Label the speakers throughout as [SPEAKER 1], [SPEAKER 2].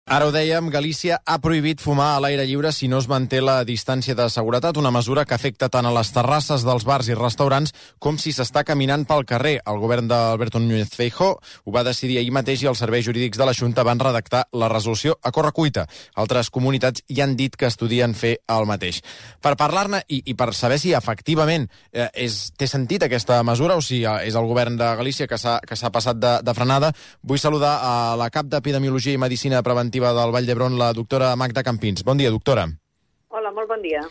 [SPEAKER 1] Ara ho dèiem, Galícia ha prohibit fumar a l'aire lliure si no es manté la distància de seguretat, una mesura que afecta tant a les terrasses dels bars i restaurants com si s'està caminant pel carrer. El govern d'Alberto Núñez Feijóo ho va decidir ahir mateix i els serveis jurídics de la Xunta van redactar la resolució a correcuita. Altres comunitats ja han dit que estudien fer el mateix. Per parlar-ne i per saber si efectivament té sentit aquesta mesura o si és el govern de Galícia que s'ha passat de frenada, vull saludar a la cap d'Epidemiologia i Medicina Preventiva del Vall d'Hebron, la doctora Magda Campins. Bon dia, doctora.
[SPEAKER 2] Hola, molt bon dia.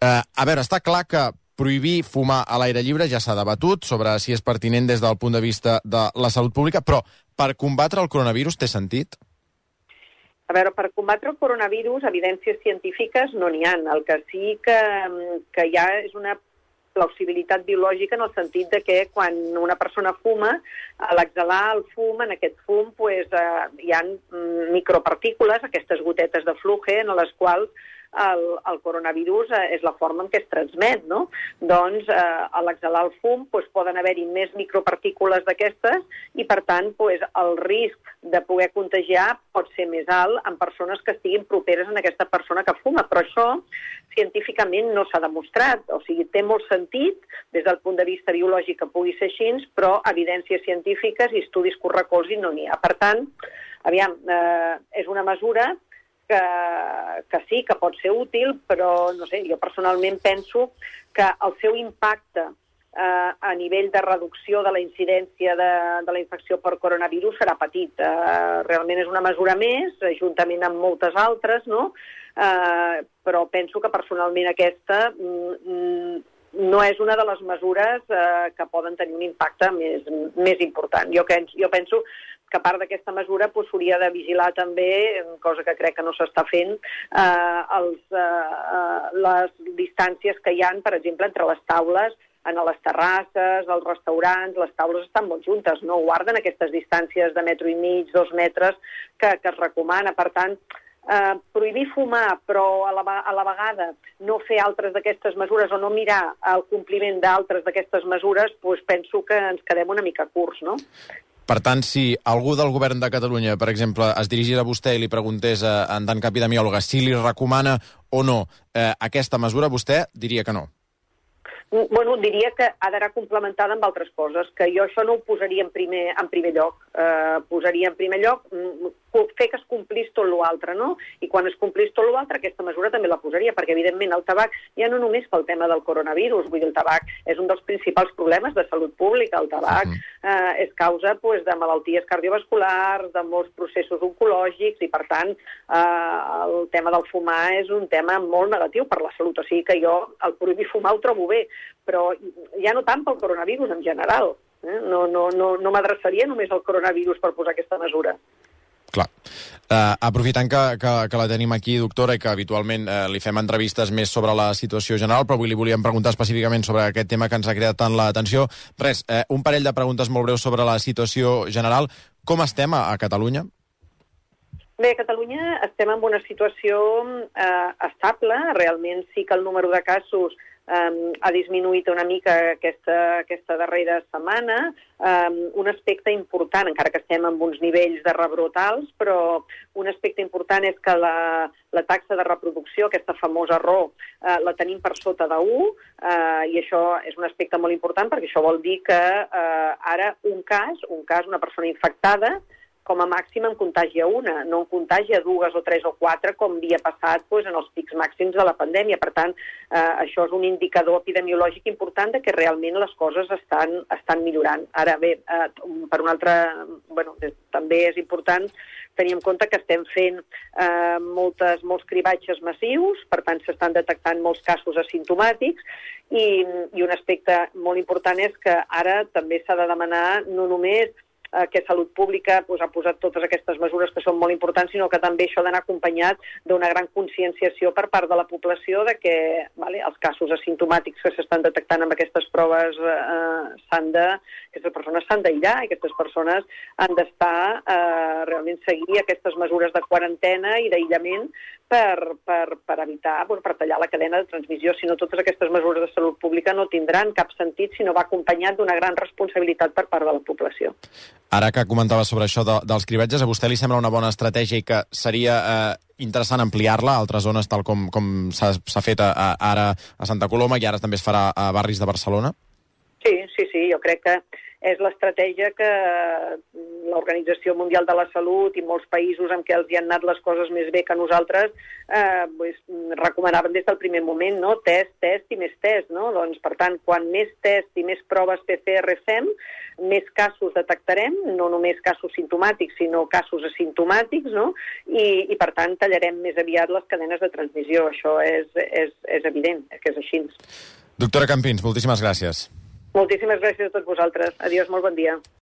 [SPEAKER 1] A veure, està clar que prohibir fumar a l'aire lliure ja s'ha debatut sobre si és pertinent des del punt de vista de la salut pública, però per combatre el coronavirus té sentit?
[SPEAKER 2] A veure, per combatre el coronavirus, evidències científiques no n'hi ha. El que sí que hi ha és una plausibilitat biològica en el sentit de que quan una persona fuma, a l'exhalar el fum, en aquest fum hi ha micropartícules, aquestes gotetes de fluje, en les quals el coronavirus és la forma en què es transmet, no? Doncs a l'exhalar el fum poden haver-hi més micropartícules d'aquestes i, per tant, el risc de poder contagiar pot ser més alt en persones que estiguin properes a aquesta persona que fuma. Però això científicament no s'ha demostrat. O sigui, té molt sentit des del punt de vista biològic que pugui ser així, però evidències científiques i estudis que ho recolzin no n'hi ha. Per tant, és una mesura que sí, que pot ser útil, però no sé, jo personalment penso que el seu impacte a nivell de reducció de la incidència de la infecció per coronavirus serà petit. Realment és una mesura més, juntament amb moltes altres, no? Però penso que personalment aquesta no és una de les mesures que poden tenir un impacte més important. Jo penso que a part d'aquesta mesura s'hauria de vigilar també, cosa que crec que no s'està fent, les distàncies que hi ha, per exemple, entre les taules a les terrasses, als restaurants. Les taules estan molt juntes, no guarden aquestes distàncies de 1,5 metres, 2 metres que es recomana. Per tant, prohibir fumar, però a la vegada no fer altres d'aquestes mesures o no mirar el compliment d'altres d'aquestes mesures, penso que ens quedem una mica curts, no?
[SPEAKER 1] Per tant, si algú del govern de Catalunya, per exemple, es dirigís a vostè i li preguntés en tant que epidemiòloga si li recomana o no aquesta mesura, vostè diria que no.
[SPEAKER 2] Bueno, diria que ha d'anar complementada amb altres coses, que jo això no ho posaria en primer lloc. Posaria en primer lloc fer que es complís tot l'altre, no? I quan es complís tot l'altre, aquesta mesura també la posaria, perquè, evidentment, el tabac, ja no només pel tema del coronavirus, vull dir, el tabac és un dels principals problemes de salut pública. El tabac és causa de malalties cardiovasculars, de molts processos oncològics, i, per tant, el tema del fumar és un tema molt negatiu per la salut. O sigui que jo el prohibir fumar ho trobo bé, però ja no tant pel coronavirus en general. No m'adreçaria només al coronavirus per posar aquesta mesura.
[SPEAKER 1] Clar. Aprofitant que la tenim aquí, doctora, i que habitualment li fem entrevistes més sobre la situació general, però avui li volíem preguntar específicament sobre aquest tema que ens ha creat tant l'atenció. Res, un parell de preguntes molt breus sobre la situació general. Com estem a Catalunya?
[SPEAKER 2] Bé, a Catalunya estem en una situació estable. Realment sí que el número de casos ha disminuït una mica aquesta darrera setmana. Un aspecte important, encara que estem en uns nivells de rebrot alts, però un aspecte important és que la taxa de reproducció, aquesta famosa RO, la tenim per sota de 1, i això és un aspecte molt important perquè això vol dir que ara un cas, una persona infectada, com a màxim en contagia una, no en contagia 2 o 3 o 4, com havia passat en els pics màxims de la pandèmia. Per tant, això és un indicador epidemiològic important de que realment les coses estan millorant. Ara bé, per un altre, també és important tenir en compte que estem fent molts cribatges massius, per tant s'estan detectant molts casos asimptomàtics, i un aspecte molt important és que ara també s'ha de demanar no només que Salut Pública ha posat totes aquestes mesures que són molt importants, sinó que també això ha d'anar acompanyat d'una gran conscienciació per part de la població de que els casos asimptomàtics que s'estan detectant amb aquestes proves aquestes persones s'han d'aïllar, i aquestes persones han d'estar realment seguir aquestes mesures de quarantena i d'aïllament per evitar, per tallar la cadena de transmissió. Si no, totes aquestes mesures de salut pública no tindran cap sentit si no va acompanyat d'una gran responsabilitat per part de la població.
[SPEAKER 1] Ara que comentava sobre això dels cribatges, a vostè li sembla una bona estratègia i que seria interessant ampliar-la a altres zones, tal com s'ha fet ara a Santa Coloma i ara també es farà a barris de Barcelona?
[SPEAKER 2] Sí, jo crec que és l'estratègia que l'Organització Mundial de la Salut i molts països en què els hi han anat les coses més bé que nosaltres recomanaven des del primer moment, no? Test i més test, no? Doncs, per tant, quan més test i més proves PCR fem, més casos detectarem, no només casos simptomàtics, sinó casos asimptomàtics, no? I per tant, tallarem més aviat les cadenes de transmissió. Això és evident, que és així.
[SPEAKER 1] Doctora Campins, moltíssimes gràcies.
[SPEAKER 2] Moltíssimes gràcies a tots vosaltres. Adiós, molt bon dia.